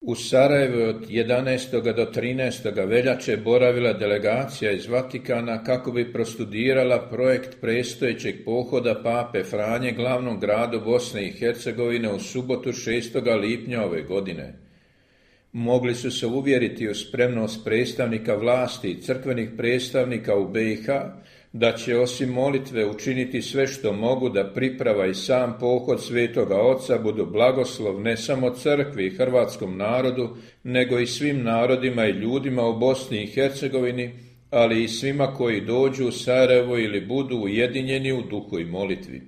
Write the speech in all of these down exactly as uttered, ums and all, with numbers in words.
U Sarajevu od jedanaestog do trinaestog veljače boravila delegacija iz Vatikana kako bi prostudirala projekt predstojećeg pohoda Pape Franje glavnom gradu Bosne i Hercegovine u subotu šestog lipnja ove godine. Mogli su se uvjeriti u spremnost predstavnika vlasti i crkvenih predstavnika u be i ha da će osim molitve učiniti sve što mogu da priprava i sam pohod Svetoga Oca budu blagoslov ne samo crkvi i hrvatskom narodu, nego i svim narodima i ljudima u Bosni i Hercegovini, ali i svima koji dođu u Sarajevo ili budu ujedinjeni u duhu i molitvi.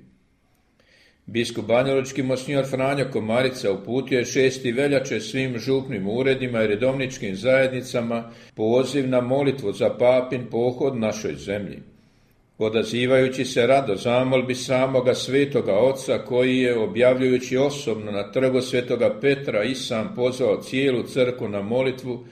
Biskup banjalučki monsignor Franjo Komarica uputio je šestog veljače svim župnim uredima i redovničkim zajednicama poziv na molitvu za papin pohod našoj zemlji. Odazivajući se rado zamolbi samoga Svetoga Oca koji je, objavljujući osobno na trgu Svetoga Petra, i sam pozvao cijelu crkvu na molitvu,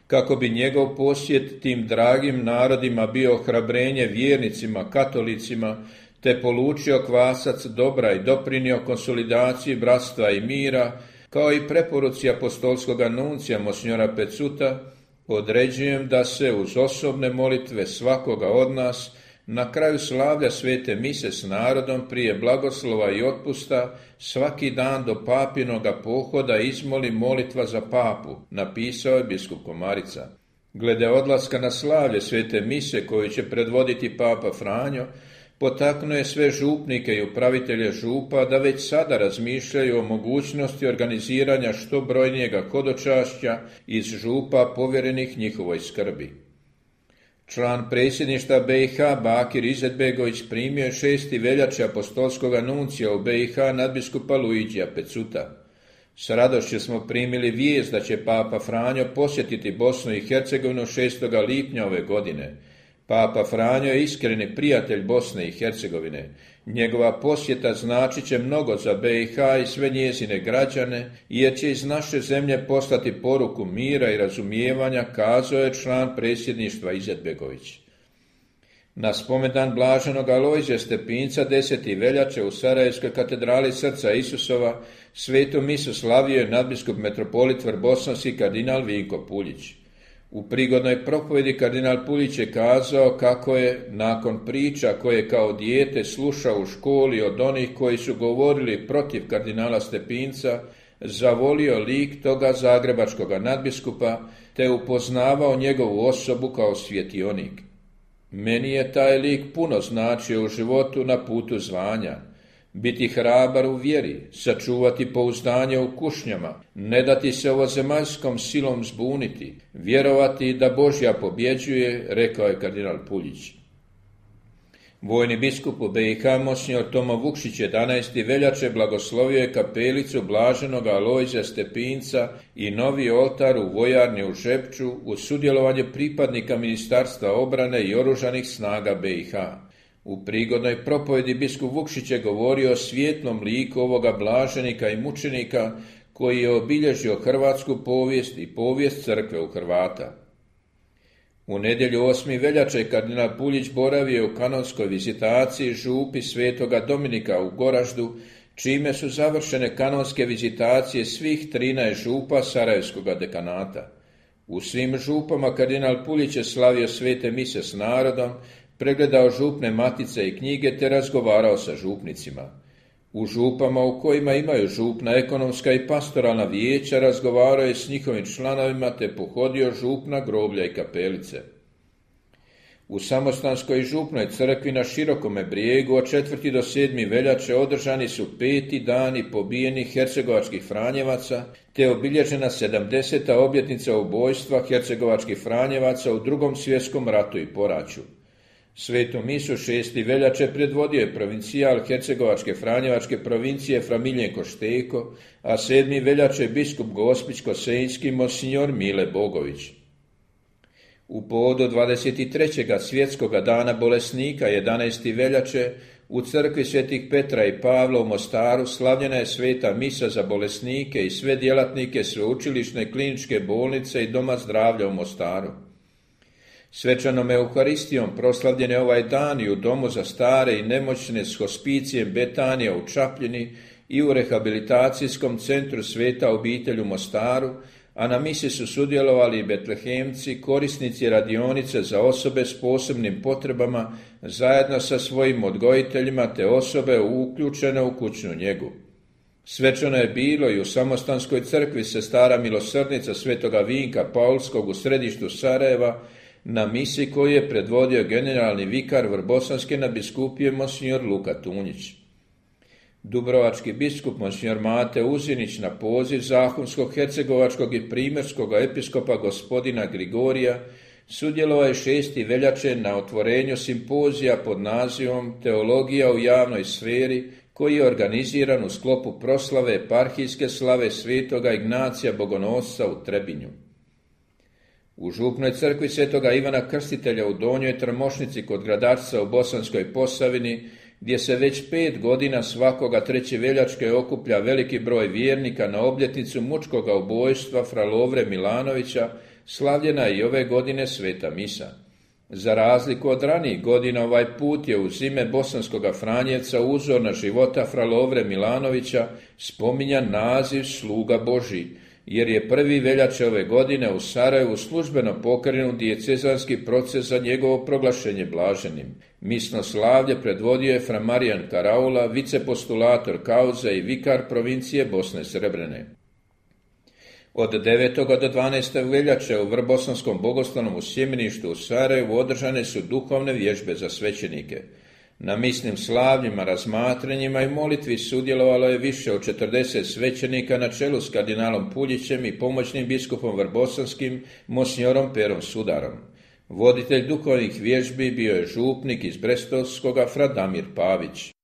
kako bi njegov posjet tim dragim narodima bio ohrabrenje vjernicima, katolicima, te polučio kvasac dobra i doprinio konsolidaciji bratstva i mira, kao i preporuci apostolskog nuncija monsignora Pecuta, određujem da se uz osobne molitve svakoga od nas na kraju slavlja svete mise s narodom prije blagoslova i otpusta svaki dan do papinoga pohoda izmoli molitva za papu, napisao je biskup Komarica. Glede odlaska na slavlje svete mise koju će predvoditi papa Franjo, potaknuje sve župnike i upravitelje župa da već sada razmišljaju o mogućnosti organiziranja što brojnijega hodočašća iz župa povjerenih njihovoj skrbi. Član predsjedništva be i ha Bakir Izetbegović primio je šestog veljače apostolskog nuncija u be i ha nadbiskupa Luigija Pecuta. S radošću smo primili vijest da će papa Franjo posjetiti Bosnu i Hercegovinu šestog lipnja ove godine. Papa Franjo je iskreni prijatelj Bosne i Hercegovine. Njegova posjeta značit će mnogo za be i ha i sve njezine građane, jer će iz naše zemlje poslati poruku mira i razumijevanja, kazao je član predsjedništva Izetbegović. Na spomendan blaženog Alojzija Stepinca desetog veljače u Sarajevskoj katedrali Srca Isusova svetu misu slavio je nadbiskup metropolit Vrbosanski kardinal Vinko Puljić. U prigodnoj propovedi kardinal Puljić je kazao kako je, nakon priča koje kao dijete slušao u školi od onih koji su govorili protiv kardinala Stepinca, zavolio lik toga zagrebačkog nadbiskupa te upoznavao njegovu osobu kao svjetionik. Meni je taj lik puno značio u životu na putu zvanja. Biti hrabar u vjeri, sačuvati pouzdanje u kušnjama, ne dati se ovozemaljskom silom zbuniti, vjerovati da Božja pobjeđuje, rekao je kardinal Puljić. Vojni biskup u be i ha monsignor Tomo Vukšić jedanaestog veljače blagoslovio je kapelicu blaženog Alojzija Stepinca i novi oltar u vojarni u Žepču uz sudjelovanje pripadnika Ministarstva obrane i oružanih snaga be i ha. U prigodnoj propovedi biskup Vukšić je govorio o svijetlom liku ovoga blaženika i mučenika koji je obilježio hrvatsku povijest i povijest crkve u Hrvata. U nedjelju osmog veljače kardinal Puljić boravio u kanonskoj vizitaciji župi Svetoga Dominika u Goraždu, čime su završene kanonske vizitacije svih trinaest župa Sarajevskoga dekanata. U svim župama kardinal Puljić je slavio svete mise s narodom, pregledao župne matice i knjige te razgovarao sa župnicima. U župama u kojima imaju župna ekonomska i pastoralna vijeća razgovarao je s njihovim članovima te pohodio župna groblja i kapelice. U Samostanskoj župnoj crkvi na Širokome brijegu od četvrtog do sedmog veljače održani su peti dani pobijenih hercegovačkih Franjevaca te obilježena sedamdeseta obljetnica ubojstva hercegovačkih Franjevaca u Drugom svjetskom ratu i poraću. Svetu misu šestog veljače predvodio je provincijal hercegovačke Franjevačke provincije Fra Miljenko Šteko, a sedmog veljače biskup Gospić-Kosenjski monsignor Mile Bogović. U povodu dvadeset trećeg svjetskog dana bolesnika jedanaestog veljače u crkvi svetih Petra i Pavla u Mostaru slavljena je sveta misa za bolesnike i sve djelatnike sveučilišne kliničke bolnice i doma zdravlja u Mostaru. Svečanom euharistijom proslavljen je ovaj dan i u domu za stare i nemoćne s hospicijem Betanija u Čapljini i u rehabilitacijskom centru Sveta obitelj u Mostaru, a na misi su sudjelovali i betlehemci, korisnici radionice za osobe s posebnim potrebama, zajedno sa svojim odgojiteljima te osobe uključene u kućnu njegu. Svečano je bilo i u Samostanskoj crkvi Sestara milosrdnica Svetoga Vinka Paulskog u središtu Sarajeva, na misi koju je predvodio generalni vikar Vrbosanske nadbiskupije monsignor Luka Tunjić. Dubrovački biskup monsignor Mate Uzinić na poziv Zahumskog, Hercegovačkog i Primorskog episkopa gospodina Grigorija sudjelovao je šesti veljače na otvorenju simpozija pod nazivom Teologija u javnoj sferi, koji je organiziran u sklopu proslave eparhijske slave Svetoga Ignacija Bogonosca u Trebinju. U župnoj crkvi Svetoga Ivana Krstitelja u Donjoj Trmošnici kod Gradačca u Bosanskoj Posavini, gdje se već pet godina svakoga treće veljačke okuplja veliki broj vjernika na obljetnicu mučkoga ubojstva fra Lovre Milanovića, slavljena je i ove godine sveta misa. Za razliku od ranijih godina, ovaj put je uz ime bosanskoga Franjevca uzorna života fra Lovre Milanovića spominjan naziv Sluga Božji, jer je prvi veljače ove godine u Sarajevu službeno pokrenut dijecezanski proces za njegovo proglašenje blaženim. Misno slavlje predvodio je fra Marijan Karaula, vicepostulator kauze i vikar provincije Bosne Srebrene. Od devetog do dvanaestog veljače u Vrbosanskom bogoslovnom u Sjemeništu u Sarajevu održane su duhovne vježbe za svećenike. Na misnim slavljima, razmatranjima i molitvi sudjelovalo je više od četrdeset svećenika na čelu s kardinalom Puljićem i pomoćnim biskupom Vrbosanskim monsignorom Perom Sudarom. Voditelj duhovnih vježbi bio je župnik iz Brestovskoga fra Damir Pavić.